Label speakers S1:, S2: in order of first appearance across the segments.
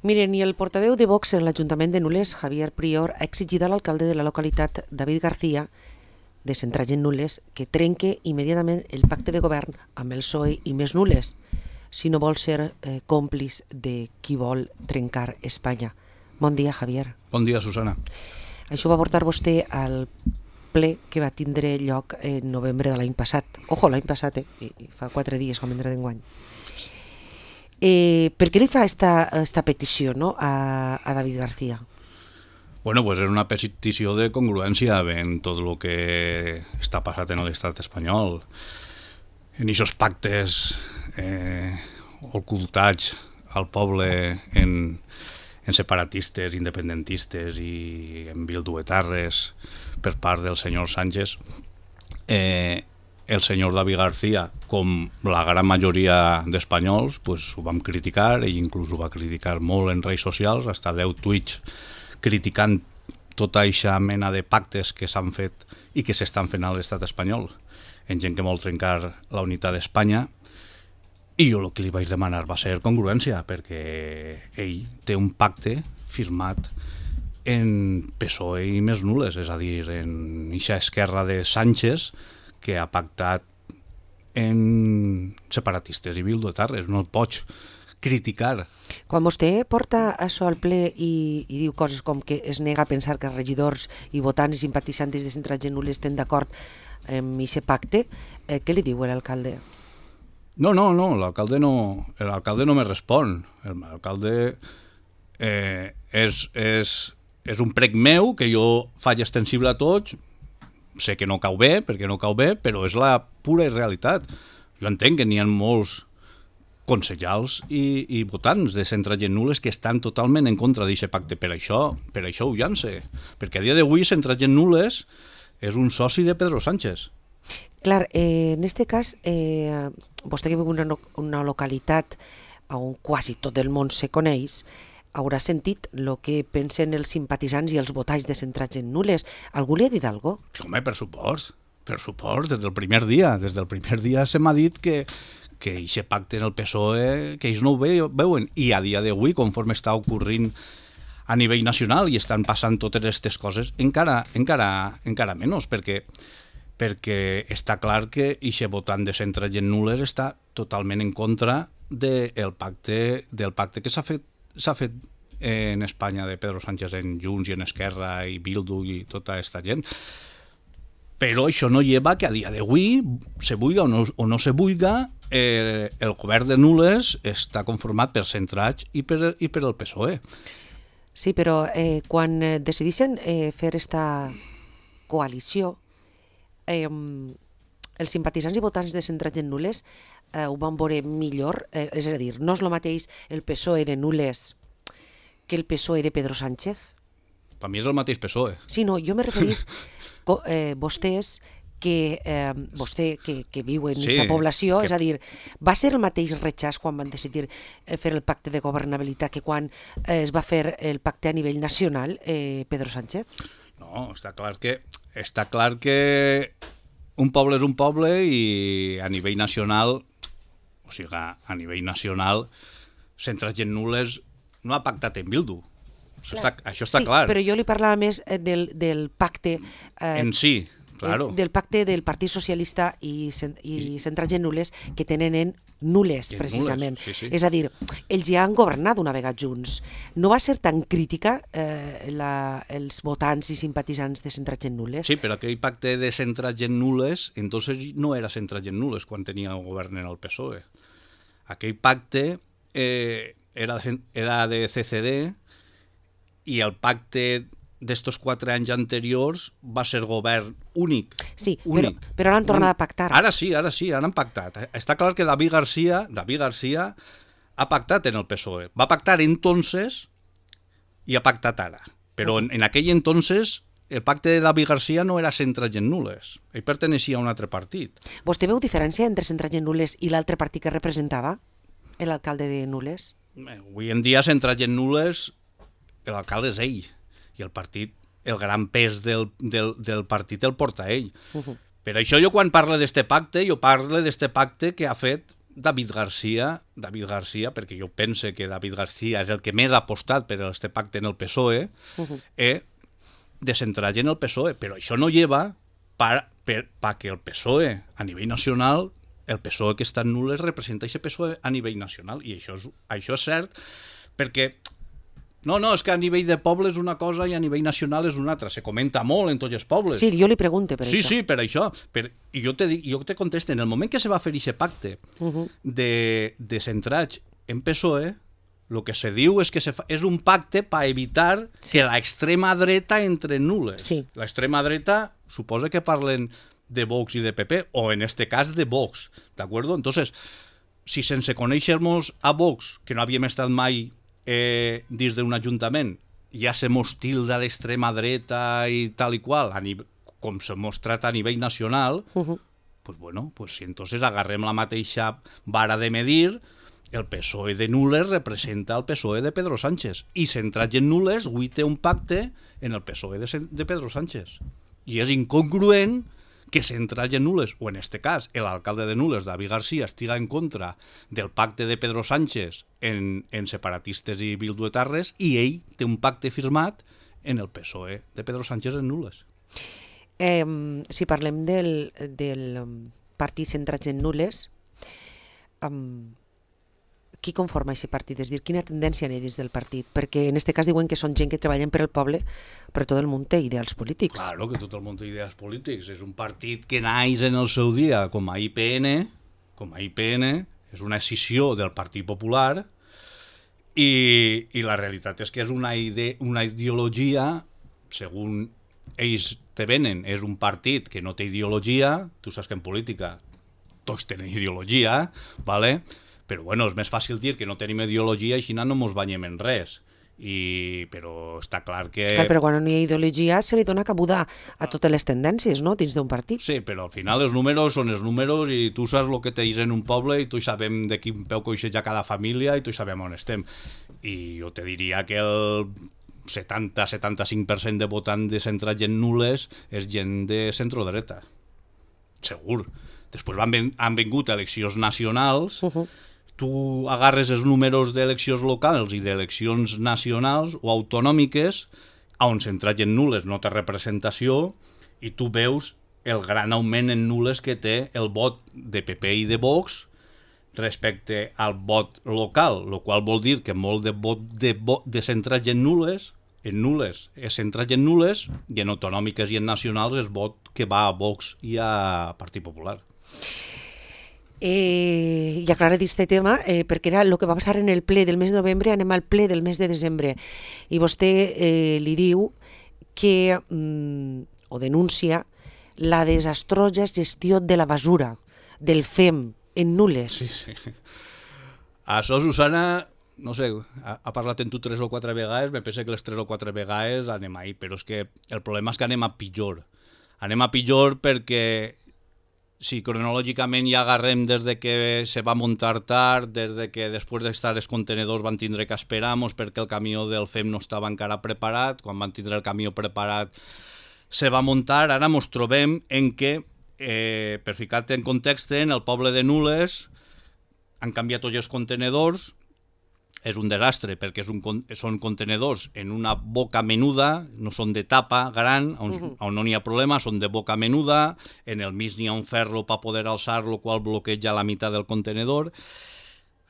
S1: Miren, i el portaveu de Vox en l'Ajuntament de Nules, Javier Prior, ha exigit a l'alcalde de la localitat, David García, de Centraig en Nules, que trenque immediatament el pacte de govern amb el PSOE i més Nules, si no vol ser còmplice de qui vol trencar Espanya. Bon dia, Javier.
S2: Bon dia, Susana.
S1: Això va portar vostè al ple que va tindre lloc en novembre de l'any passat. Ojo, l'any passat, fa 4 dies, com vindrà d'enguany. Per què li fa esta petició, no, a David García?
S2: Bueno, pues és una petició de congruència en tot el que està passat en l'estat espanyol, en aquests pactes ocultats al poble en separatistes, independentistes i en bilduetarres per part del senyor Sánchez. El senyor David García, com la gran majoria d'espanyols, pues, ho vam criticar, ell inclús ho va criticar molt en redes socials, hasta 10 tuits criticant tota aquesta mena de pactes que s'han fet i que s'estan fent a l'estat espanyol, en gent que vol trencar la unitat d'Espanya. I jo el que li vaig demanar va ser congruència, perquè ell té un pacte firmat en PSOE i més Nules, és a dir, en eixa esquerra de Sánchez, que ha pactat en separatistes i bilduetarres. No el pots criticar.
S1: Quan vostè porta això al ple i diu coses com que es nega a pensar que els regidors i votants i simpatitzants de Centraig en Nules estan d'acord amb aquest pacte, què li diu l'alcalde?
S2: No, l'alcalde no me respon. L'alcalde és un prec meu que jo faig extensible a tots. Sé que no cau bé, perquè no cau bé, però és la pura realitat. Jo entenc que n'hi ha molts consellals i votants de Centraig en Nules que estan totalment en contra d'aquest pacte. Per això ho llance. Perquè a dia d'avui Centraig en Nules és un soci de Pedro Sánchez.
S1: Clar, en este cas, vostè que viu en una localitat on quasi tot el món se coneix, haurà sentit el que pensen els simpatitzants i els votants de Centraig en Nules. Algú li ha dit alguna cosa?
S2: Home, per supost, des del primer dia. Des del primer dia se m'ha dit que aquest pacte en el PSOE, que ells no ho veuen. I a dia d'avui, conforme està ocorrint a nivell nacional i estan passant totes aquestes coses, encara menys, perquè està clar que aquest votant de Centraig en Nules està totalment en contra del pacte que s'ha fet en Espanya de Pedro Sánchez en Junts i en Esquerra i Bildu i tota aquesta gent. Però això no lleva que a dia d'avui, se vulga o no se vulga, el govern de Nules està conformat per Centraig i per el PSOE.
S1: Sí, però quan decideixen fer esta coalició, els simpatitzants i votants de Centraig en Nules ho van veure millor, és a dir, no és el mateix el PSOE de Nules que el PSOE de Pedro Sánchez?
S2: Per mi és el mateix PSOE.
S1: Sí, no, jo me referís vostès vostè que viu en aquesta població, és a dir, va ser el mateix rechaç quan van decidir fer el pacte de governabilitat que quan es va fer el pacte a nivell nacional Pedro Sánchez?
S2: No, està clar que un poble és un poble i a nivell nacional, Centraig en Nules no ha pactat en Bildu. Això està clar.
S1: Sí, però jo li parlava més del pacte
S2: en si, claro.
S1: Del pacte del Partit Socialista i Centraig en Nules que tenen en Nules, precisament.
S2: Sí.
S1: És a dir, ells ja han governat una vegada junts. No va ser tan crítica els votants i simpatitzants de Centraig en Nules?
S2: Sí, però aquell pacte de Centraig en Nules, entonces no era Centraig en Nules quan tenia el govern en el PSOE. Aquell pacte era de CCD i el pacte d'estos 4 anys anteriors va ser govern únic.
S1: Sí, però ara han tornat a pactar.
S2: Ara sí, ara han pactat. Està clar que David García ha pactat en el PSOE. Va pactar entonces i ha pactat ara. Però en aquell entonces el pacte de David García no era Centraig en Nules. Ell perteneixia a un altre partit.
S1: Vostè veu diferència entre Centraig en Nules i l'altre partit que representava? L'alcalde de Nules?
S2: Avui en dia Centraig en Nules, l'alcalde és ell. I el partit, el gran pes del partit el porta ell. Per això jo quan parlo d'este pacte, jo parlo d'este pacte que ha fet David García, perquè jo pense que David García és el que més ha apostat per este pacte en el PSOE, de centrar-se en el PSOE, però això no lleva perquè el PSOE a nivell nacional, el PSOE que està en nules representa aquest PSOE a nivell nacional, i això és cert, perquè no, és que a nivell de poble és una cosa i a nivell nacional és una altra. Se comenta molt en tots els pobles.
S1: Sí, jo li pregunto per això.
S2: Sí, per això. I jo te contesto, en el moment que se va fer aquest pacte de centrar-se en PSOE, el que se diu és que és un pacte per evitar que l'extrema dreta entre en nules.
S1: Sí.
S2: L'extrema dreta suposa que parlen de Vox i de PP, o en este cas de Vox, ¿d'acord? Entonces, si sense conèixer-nos a Vox, que no havíem estat mai dins d'un ajuntament, ja se mos tilda d'extrema dreta i tal i qual, com se mos trata a nivell nacional, pues si entonces agarrem la mateixa vara de medir, el PSOE de nules representa el PSOE de Pedro Sánchez, i centrat en nules, avui té un pacte en el PSOE de Pedro Sánchez. I és incongruent que centrat en nules, o en este cas, l'alcalde de Nules, David García, estiga en contra del pacte de Pedro Sánchez en separatistes i bilduetarres, i ell té un pacte firmat en el PSOE de Pedro Sánchez en nules.
S1: Si parlem del partit centrat en nules, qui conforma aquest partit? És dir, quina tendència hi ha dins del partit? Perquè en aquest cas diuen que són gent que treballen per al poble, però tot el món té ideals polítics.
S2: Claro que tot el món té ideals polítics. És un partit que naix en el seu dia com a IPN, és una escissió del Partit Popular, i la realitat és que és una ideologia, segons ells te venen, és un partit que no té ideologia. Tu saps que en política tots tenen ideologia, ¿vale? Però bueno, és més fàcil dir que no tenim ideologia i així no ens banyem en res. Però està clar que...
S1: Clar, però quan no hi ha ideologia se li dona cabuda a totes les tendències, no?, dins d'un partit.
S2: Sí, però al final els números són els números i tu saps el que tens en un poble i tu sabem de quin peu coixeja cada família i tu sabem on estem. I jo te diria que el 70-75% de votant de centrats en nules és gent de centrodreta. Segur. Després han vingut eleccions nacionals... Tu agarres els números d'eleccions locals i d'eleccions nacionals o autonòmiques, on centrat en nules no té representació, i tu veus el gran augment en nules que té el vot de PP i de Vox respecte al vot local, el qual vol dir que molt de vot de centrat en nules és centrat en nules, i en autonòmiques i en nacionals és vot que va a Vox i a Partit Popular.
S1: I aclarar aquest tema, perquè era el que va passar en el ple del mes de novembre, anem al ple del mes de desembre, i vostè li diu que, o denuncia, la desastrosa gestió de la basura, del FEM, en nules.
S2: Sí. Això, Susana, no sé, ha parlat en tu 3 o 4 vegades, me pensa que les 3 o 4 vegades anem ahí, però és que el problema és que anem a pitjor. Anem a pitjor perquè... Si cronològicament ja agarrem des de que se va muntar tard, des de que després d'estar els contenedors van tindre que esperar-nos perquè el camió del FEM no estava encara preparat, quan van tindre el camió preparat se va muntar, ara ens trobem en que, per ficar-te en context, en el poble de Nules han canviat tots els contenedors, és un desastre perquè són contenedors en una boca menuda, no són de tapa gran, on no n'hi ha problema, són de boca menuda, en el mig n'hi ha un ferro per poder alçar, el qual bloqueja la meitat del contenedor.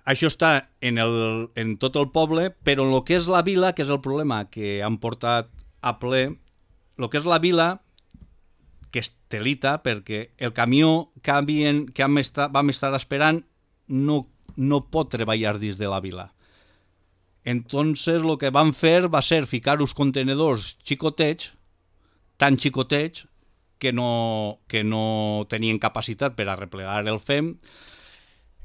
S2: Això està en tot el poble, però en el que és la vila, que és el problema que han portat a ple, el que és la vila, que és telita, perquè el camió que vam estar esperant no pot treballar dins de la vila. Entonces lo que van fer va ser ficar uns contenedors xicotets, tan xicotets que no tenien capacitat per a replegar el FEM.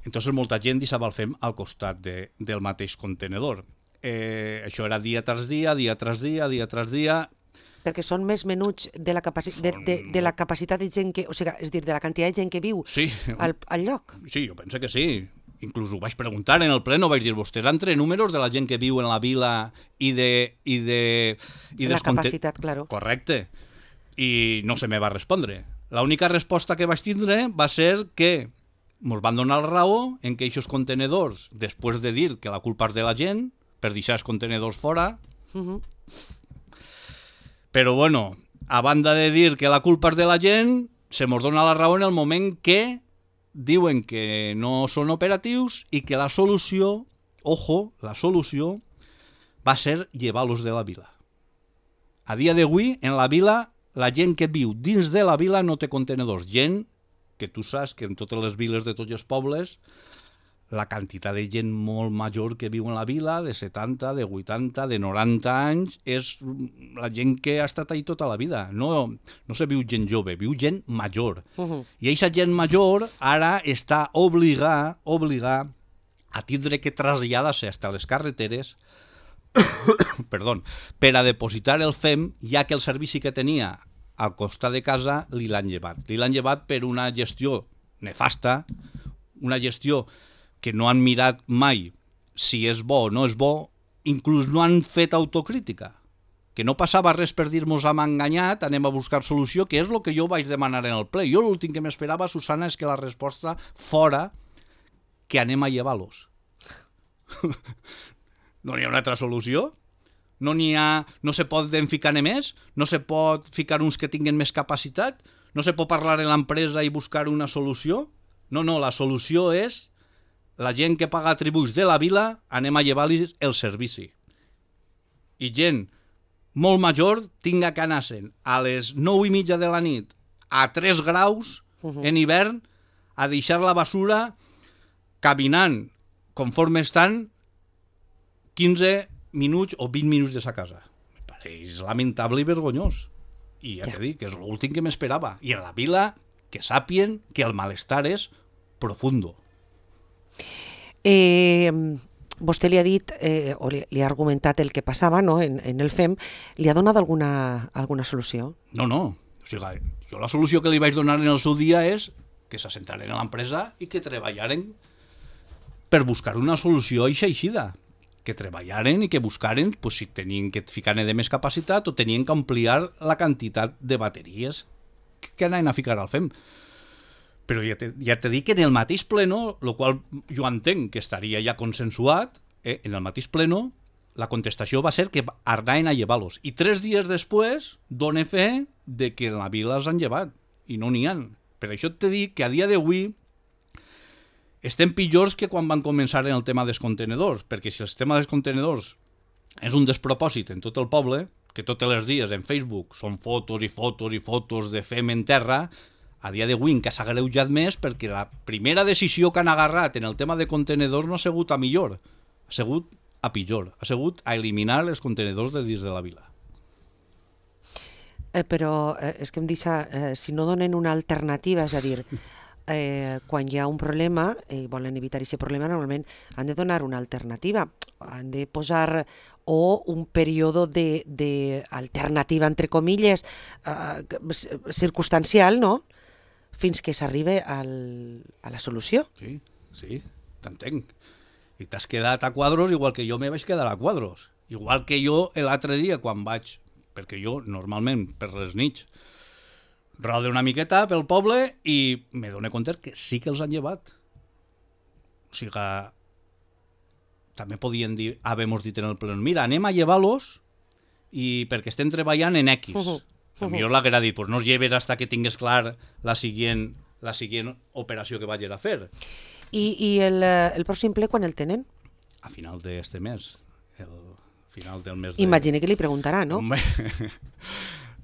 S2: Entonces molta gent deixava el FEM al costat del mateix contenedor. Això era dia tras dia, dia tras dia, dia tras dia.
S1: Perquè són més menuts de la capacitat de gent que... O sigui, és dir, de la quantitat de gent que viu al lloc.
S2: Sí, jo penso que sí. Inclús ho vaig preguntar en el pleno, vaig dir, vostès han tret números de la gent que viu en la vila i
S1: la capacitat, claro.
S2: Correcte. I no se me va respondre. L'única resposta que vaig tindre va ser que mos van donar la raó en que aquests contenedors, després de dir que la culpa és de la gent, per deixar els contenedors fora, però bueno, a banda de dir que la culpa és de la gent, se mos dona la raó en el moment que diuen que no són operatius i que la solució, ojo, la solució va ser llevar-los de la vila. A dia d'avui, en la vila, la gent que viu dins de la vila no té contenedors. Gent que tu saps que en totes les viles de tots els pobles, la quantitat de gent molt major que viu en la vila, de 70, de 80, de 90 anys, és la gent que ha estat ahí tota la vida. No se viu gent jove, viu gent major. I aquesta gent major ara està obligar a tindre que traslladar-se fins a les carreteres per a depositar el FEM, ja que el servici que tenia al costat de casa li l'han llevat. Li l'han llevat per una gestió nefasta, una gestió que no han mirat mai si és bo o no és bo, inclús no han fet autocrítica. Que no passava res per dir-nos hem enganyat, anem a buscar solució, que és el que jo vaig demanar en el ple. Jo l'últim que m'esperava, Susana, és que la resposta fora que anem a llevar-los. No hi ha una altra solució? No se pot ficar més? No se pot ficar uns que tinguin més capacitat? No se pot parlar en l'empresa i buscar una solució? No, la solució és la gent que paga tributs de la vila, anem a llevar-los el servici. I gent molt major tinga que anar-se'n a les 9:30 de la nit a 3 graus en hivern a deixar la basura caminant conforme estan 15 minuts o 20 minuts de sa casa. Me pareix lamentable i vergonyós. I ja t'he dit que és l'últim que m'esperava. I a la vila que sàpien que el malestar és profundo.
S1: Vostè li ha dit, o li ha argumentat el que passava, no, en el FEM, li ha donat alguna solució?
S2: No. O sigui, jo la solució que li vaig donar en el seu dia és que s'assentaren a l'empresa i que treballaren per buscar una solució aixida. Que treballaren i que buscaren pues, si tenien que ficar de més capacitat o tenien que ampliar la quantitat de bateries que anaven a ficar al FEM. Però ja t'he dit que en el mateix pleno, el qual jo entenc que estaria ja consensuat, en el mateix pleno la contestació va ser que anaven a llevar-los. I 3 dies després done fe de que en la vila els han llevat i no n'hi ha. Per això t'he dit que a dia d'avui estem pitjors que quan van començar en el tema dels contenedors, perquè si el tema dels contenedors és un despropòsit en tot el poble, que tots els dies en Facebook són fotos i fotos i fotos de FEM en terra, a dia d'avui encara s'ha agreujat més perquè la primera decisió que han agarrat en el tema de contenedors no ha sigut a millor, ha sigut a pitjor, ha sigut a eliminar els contenedors de dins de la vila.
S1: Però és que em deixa, si no donen una alternativa, és a dir, quan hi ha un problema i volen evitar aquest problema, normalment han de donar una alternativa, han de posar o un període d'alternativa, entre comilles, circumstancial, no?, fins que s'arribe a la solució.
S2: Sí, t'entenc. I t'has quedat a quadros igual que jo me vaig quedar a quadros. Igual que jo l'altre dia quan vaig, perquè jo normalment per les nits rode una miqueta pel poble i me dono compte que sí que els han llevat. O sigui, també podien dir, havemos dit en el pleno, mira, anem a llevar-los i perquè estem treballant en X. A millor l'haguera dit, pues no els lleves hasta que tingues clar la siguient operació que vagis a fer.
S1: I el pròxim ple quan el tenen?
S2: A final d'este mes. El final del mes
S1: Imagina que li preguntarà, no?
S2: Home,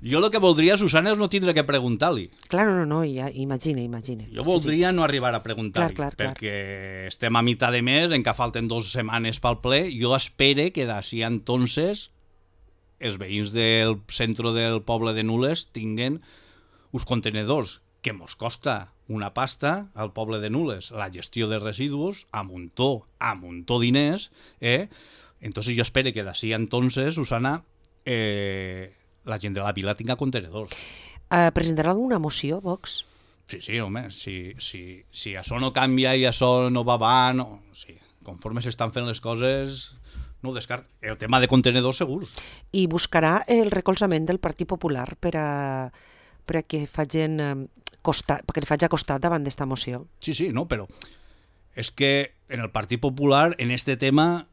S2: jo el que voldria, Susana, és no tindre que preguntar-li.
S1: Clar, no, ja, imagina.
S2: Jo voldria no arribar a preguntar-li, perquè estem a mitjà de mes, encara falten 2 setmanes pel ple, jo espere que d'ací entonces els veïns del centre del poble de Nules tinguen uns contenedors que mos costa una pasta al poble de Nules, la gestió de residus, a muntó diners, entonces jo espero que d'ací entonces, Susana, la gent de la vila tinga contenedors.
S1: Presentarà alguna moció, Vox?
S2: Sí, home, si això no canvia i això no va avant, sí, conforme s'estan fent les coses, no ho descart. El tema de contenedors segurs.
S1: I buscarà el recolzament del Partit Popular per perquè li faig costat davant d'esta moció.
S2: Sí, sí, no, però és que en el Partit Popular, en este tema,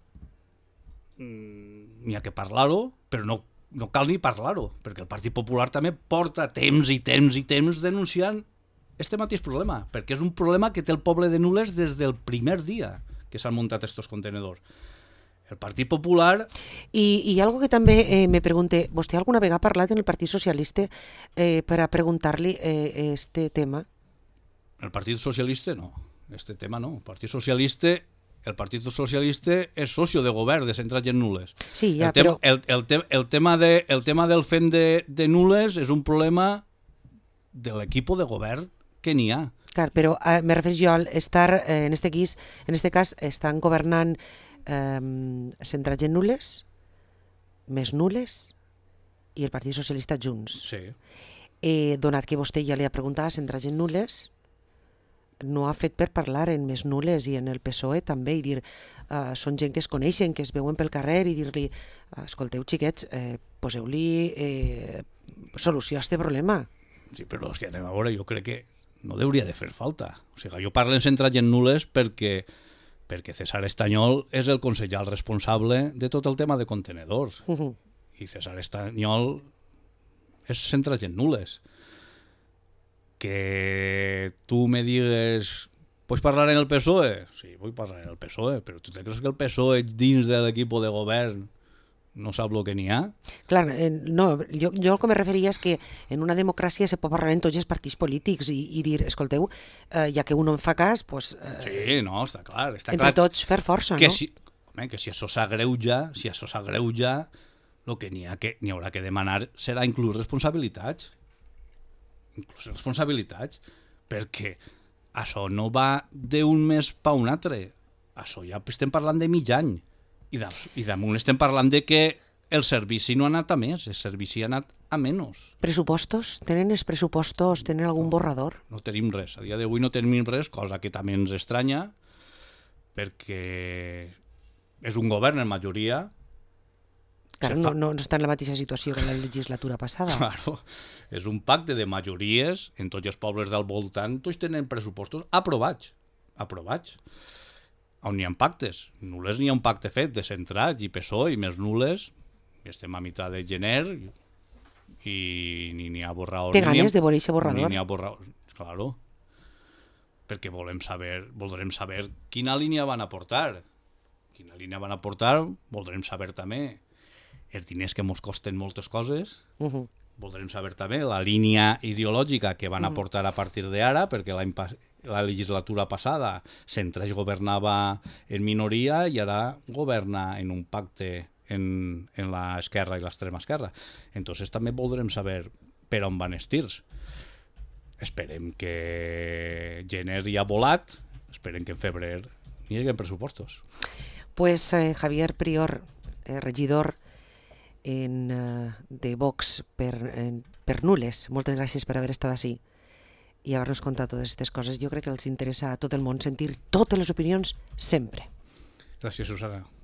S2: n'hi ha que parlar-ho, però no cal ni parlar-ho, perquè el Partit Popular també porta temps i temps i temps denunciant este mateix problema, perquè és un problema que té el poble de Nules des del primer dia que s'han muntat estos contenedors. El Partit Popular...
S1: I algo que també me pregunte, vostè alguna vegada ha parlat en el Partit Socialista per a preguntar-li este tema?
S2: El Partit Socialista no, este tema no. El Partit Socialista és socio de govern de Centralles Nules.
S1: Sí, ja,
S2: però... El tema del FEM de Nules és un problema de l'equip de govern que n'hi ha.
S1: Clar, però me refereixo jo al estar, en este cas, estan governant Centralles Nules, més Nules i el Partit Socialista junts.
S2: Sí.
S1: Donat que vostè ja li ha preguntat a Centralles Nules, no ha fet per parlar en més Nules i en el PSOE també i dir, són gent que es coneixen, que es veuen pel carrer i dir-li, escolteu xiquets, poseu-li solució a este problema.
S2: Sí, però és que anem a veure, jo crec que no hauria de fer falta. O sigui, jo parlo en Centralles Nules perquè César Estanyol és el consellal responsable de tot el tema de contenedors. I César Estanyol és Centralles Nules. Que tu me digues, ¿puedes parlar en el PSOE? Sí, vull parlar en el PSOE, però tu te creus que el PSOE dins de l'equip de govern no sap el que n'hi ha?
S1: Clar, no, jo el que me referia és que en una democràcia se pot parlar en tots els partits polítics i dir, escolteu, ja que un no en fa cas, pues,
S2: sí, no, està clar.
S1: Entre tots fer força,
S2: que
S1: no?
S2: Que si això s'agreuja, el que n'hi haurà que demanar serà inclús responsabilitats. Perquè això no va d'un mes pa un altre. Això ja estem parlant de mig any. I damunt estem parlant de que el servici no ha anat a més, el servici ha anat a menys.
S1: Pressupostos? Tenen els pressupostos? Tenen algun borrador?
S2: No tenim res. A dia d'avui no tenim res, cosa que també ens estranya, perquè és un govern en majoria.
S1: Clar, no està en la mateixa situació que la legislatura passada.
S2: Claro, és un pacte de majories, en tots els pobles del voltant, tots tenen pressupostos aprovats. On n'hi ha pactes. Nules n'hi ha un pacte fet de Centrats i PSOE i més Nules, i estem a mitjà de gener i ni n'hi ha borrador.
S1: Té ganes de veure aquest borrador?
S2: Ni n'hi ha borrador, claro. Perquè voldrem saber quina línia van aportar. Voldrem saber també els diners que ens costen moltes coses. Voldrem saber també la línia ideològica que van aportar a partir d'ara, perquè la legislatura passada Centralles governava en minoria i ara governa en un pacte en l'esquerra i l'extrema esquerra. Entonces també voldrem saber per on van els tirs. Esperem que gener ja ha volat, esperem que en febrer hi hagi pressupostos.
S1: Pues Javier Prior, regidor de Vox per Nules, moltes gràcies per haver estat així i haver-nos contat totes aquestes coses. Jo crec que els interessa a tot el món sentir totes les opinions sempre.
S2: Gràcies, Susana.